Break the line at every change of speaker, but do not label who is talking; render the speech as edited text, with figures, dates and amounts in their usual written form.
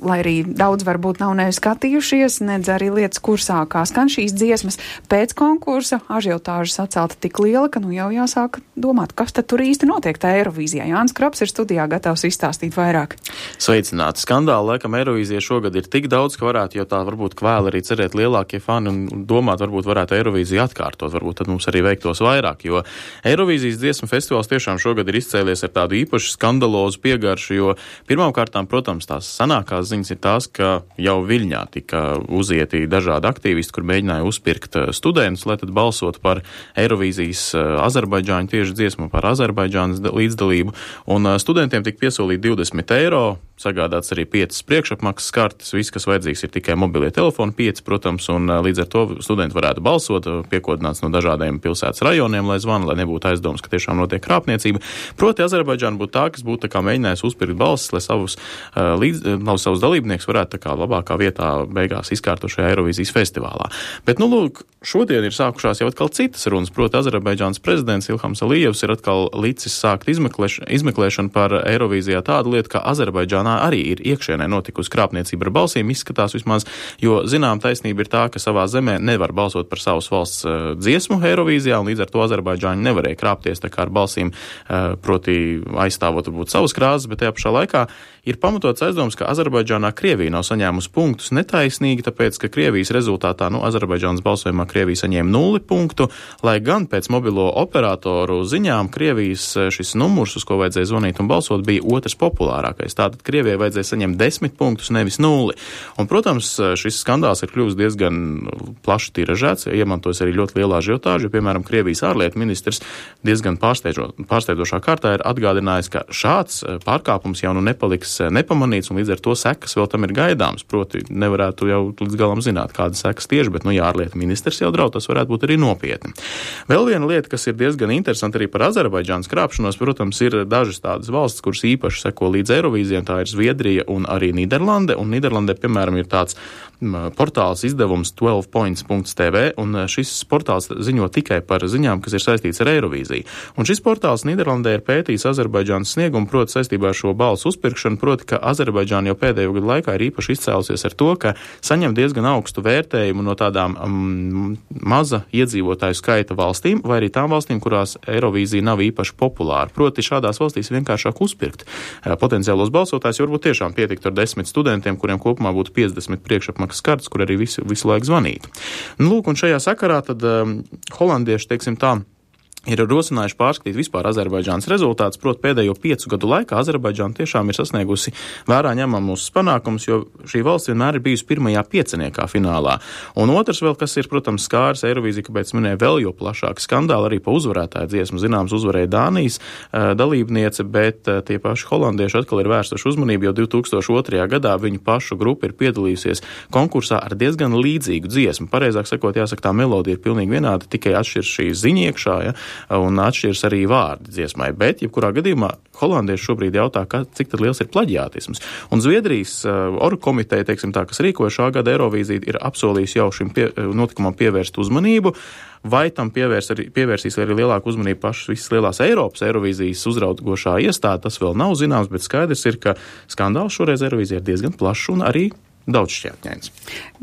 lai arī daudz varbūt nav neskatījušies, nedz arī lietas kursā, kā skan šīs dziesmas pēc konkursa, ažiotāža sacelta tik liela, ka jau jāsāk domāt, kas tad tur īsti notiek tā Eirovīzijā. Jānis Krops ir studijā gatavs izstāstīt vairāk.
Sveicināti! Skandāli, laikam, Eirovīzija šogad ir tik daudz, ka varētu, jo tā varbūt kvēl arī cerēt lielākie fani un domāt, varbūt varētu Eirovīziju atkārtot, varbūt tad mums arī veiktos vairāk, jo Eirovīzijas dziesmu festivāls tiešām šogad ir izcēlies ar tādu īpašu skandalozu piegaršu, jo pirmām kārtām, protams, tās sanākās ziņas ir tās, ka jau Viļņā tika uzieti dažādi aktīvisti, kur mēģināja uzpirkt studentus, lai tad balsotu par Eirovīzijas Azerbaidžāņu tieši dziesmu, par Azerbaidžānas līdzdalību, un studentiem tika piesolīti 20 eiro, sagādāts arī 5 priekšapmaksas kartes, viss, kas vajadzīgs, ir tikai mobilie telefoni, 5, protams, un līdz ar to studenti varētu balsot, piekodināts no dažādiem pilsētas rajoniem, lai zvana, lai nebūtu aizdomas, ka tiešām notiek krāpniecība. Proti, Azerbaidžāna būtu tā, kas būtu tā kā mēģinājusi uzpirkt balsis, lai savus dalībniekus varētu tā kā labākā vietā beigās izkārtot šajā Eirovīzijas festivālā. Bet, lūk, šodien ir sākušās jau atkal citas runas, proti, Azerbaidžānas prezidents Ilhams Alijevs ir atkal licis sākt izmeklēšanu par Eirovīzijā tādu lietu, ka Azerbaidžānā arī ir iekšienē notikusi krāpniecība ar balsīm, izskatās vismaz, jo zinām taisnība ir tā, ka savā zemē nevar balsot par savas valsts dziesmu Eirovīzijā, un līdz ar to Azerbaidžāņi nevarēja krāpties tā kā ar balsīm, proti aizstāvot varbūt savas krāzes, bet tajā pašā laikā ir pamatots aizdoms, ka Azerbaidžānā Krievija nav saņēmusi punktus netaisnīgi, tāpēc, ka Krievijas rezultātā, Azerbaidžānas balsojumā Krievija saņēma 0 punktu, lai gan pēc mobilo operatoru ziņām Krievijas šis numurs, uz ko vajadzēja zvanīt un balsot, bija otrs populārākais. Tātad Krievijai vajadzēja saņemt 10 punktus, nevis 0. Un, protams, šis skandāls ir kļuvis diezgan plaši tiražēts, iemantojas arī ļoti lielā ažiotāža, jo, piemēram, Krievijas ārlietu ministrs diezgan pārsteidzošā kārtā ir atgādinājis, ka šāds pārkāpums jau nepaliks nepamanīts, un līdz ar to sekas vēl tam ir gaidāms. Proti, nevarētu jau līdz galam zināt, kādas sekas tieši, bet, ja ārlietu ministrs jau draud, tas varētu būt arī nopietni. Vēl viena lieta, kas ir diezgan interesanti arī par Azerbaidžānas krāpšanos, protams, ir dažas tādas valstis, kuras īpaši seko līdz Eirovīzijai, tā ir Zviedrija un arī Nīderlande, un Nīderlandē, piemēram, ir tāds portāls izdevums 12points.tv, un šis portāls ziņo tikai par ziņām, kas ir saistīts ar Eirovīziju. Un šis portāls Nīderlandē ir pētījis Azerbaidžānas sniegumu, proti saistībā ar šo balsu uzpirkšanu, proti, ka Azerbaidžāna jau pēdējo gadu laikā ir īpaši izcēlusies ar to, ka saņem diezgan augstu vērtējumu no tādām maza iedzīvotāju skaita valstīm, vai arī tām valstīm, kurās Eirovīzija nav īpaši populāra. Proti, šādās valstīs vienkāršāk uzpirkt potenciālos balsotājus, jo varbūt tiešām pietiktu ar 10 studentiem, kuriem kopumā būtu 50 priekšapmaksas kartes, kur arī visu laiku zvanītu. Lūk, un šajā sakarā tad holandieši, teiksim tā, ir rosinājuši pārskatīt vispār Azerbaidžānas rezultātus, proti pēdējo 5 gadu laikā Azerbaidžāna tiešām ir sasniegusi vērā ņemamus panākumus, jo šī valsts vienmēr ir bijusi pirmajā pieciniekā finālā. Un otrs vēl, kas ir, protams, skāris Eirovīziju, kāpēc minēja vēl jo plašāku skandālu arī pa uzvarētāju dziesmu. Zināms, uzvarēja Dānijas dalībniece, bet tie paši holandieši atkal ir vērsuši uzmanību, jo 2002. gadā viņu pašu grupa ir piedalījusies konkursā ar diezgan līdzīgu dziesmu. Pareizāk sakot, jāsaka, tā melodija ir pilnīgi vienāda, tikai atšķiras šī ziņa iekšā, ja? Un atšķiras arī vārdi dziesmai, bet jebkurā gadījumā holandieši šobrīd jautā, cik tad liels ir plaģiātisms. Un Zviedrijas orgkomiteja, teiksim tā, kas rīkoja šā gada Eirovīziju, ir apsolījusi jau šim notikumam pievērst uzmanību. Vai tam pievērsīs arī lielāku uzmanību pašas visas lielās Eiropas Eirovīzijas uzraugošā iestāde, tas vēl nav zināms, bet skaidrs ir, ka skandāls šoreiz Eirovīzijā ir diezgan plašs un arī daudz šķietņains.